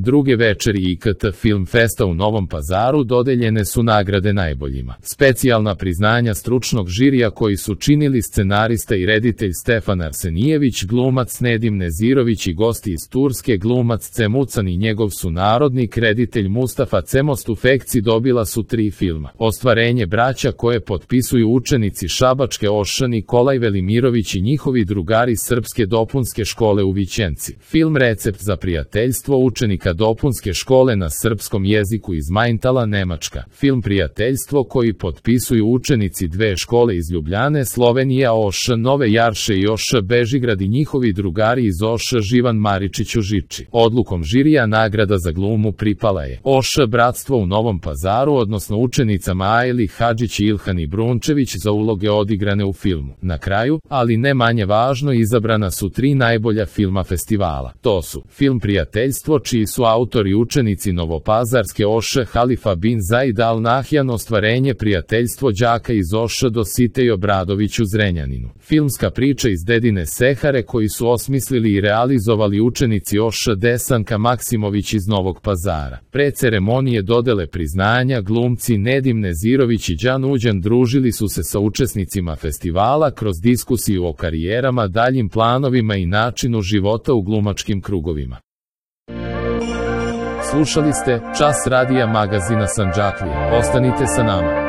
Druge večeri IKT Film Festa u Novom Pazaru dodeljene su nagrade najboljima. Specijalna priznanja stručnog žirija koji su činili scenarista i reditelj Stefan Arsenijević, glumac Nedim Nezirović i gosti iz Turske, glumac Cemucan i njegov sunarodnik, reditelj Mustafa Cemost. U Fekci dobila su 3 filma. Ostvarenje braća koje potpisuju učenici Šabačke OŠ Nikolaj Velimirović i njihovi drugari Srpske dopunske škole u Vićenci. Film Recept za prijateljstvo učenika dopunske škole na srpskom jeziku iz Majntala, Nemačka. Film Prijateljstvo koji potpisuju učenici 2 škole iz Ljubljane, Slovenija OŠ Nove Jarše i OŠ Bežigrad i njihovi drugari iz OŠ Živan Maričić u Žiči. Odlukom žirija nagrada za glumu pripala je OŠ Bratstvo u Novom Pazaru, odnosno učenicama Ajli Hadžić i Ilhani Brunčević za uloge odigrane u filmu. Na kraju, ali ne manje važno, izabrana su 3 najbolja filma festivala. To su film Prijateljstvo, čiji su autori učenici Novopazarske OŠ Halifa bin Zaid Al Nahjan, ostvarenje Prijateljstvo đaka iz OŠ Dositej Obradović u Zrenjaninu. Filmska priča iz Dedine Sehare koji su osmislili i realizovali učenici OŠ Desanka Maksimović iz Novog Pazara. Pre ceremonije dodele priznanja glumci Nedim Nezirović i Đan Uđan družili su se sa učesnicima festivala kroz diskusiju o karijerama, daljim planovima i načinu života u glumačkim krugovima. Slušali ste Čas radija magazina Sandžaklija. Ostanite sa nama.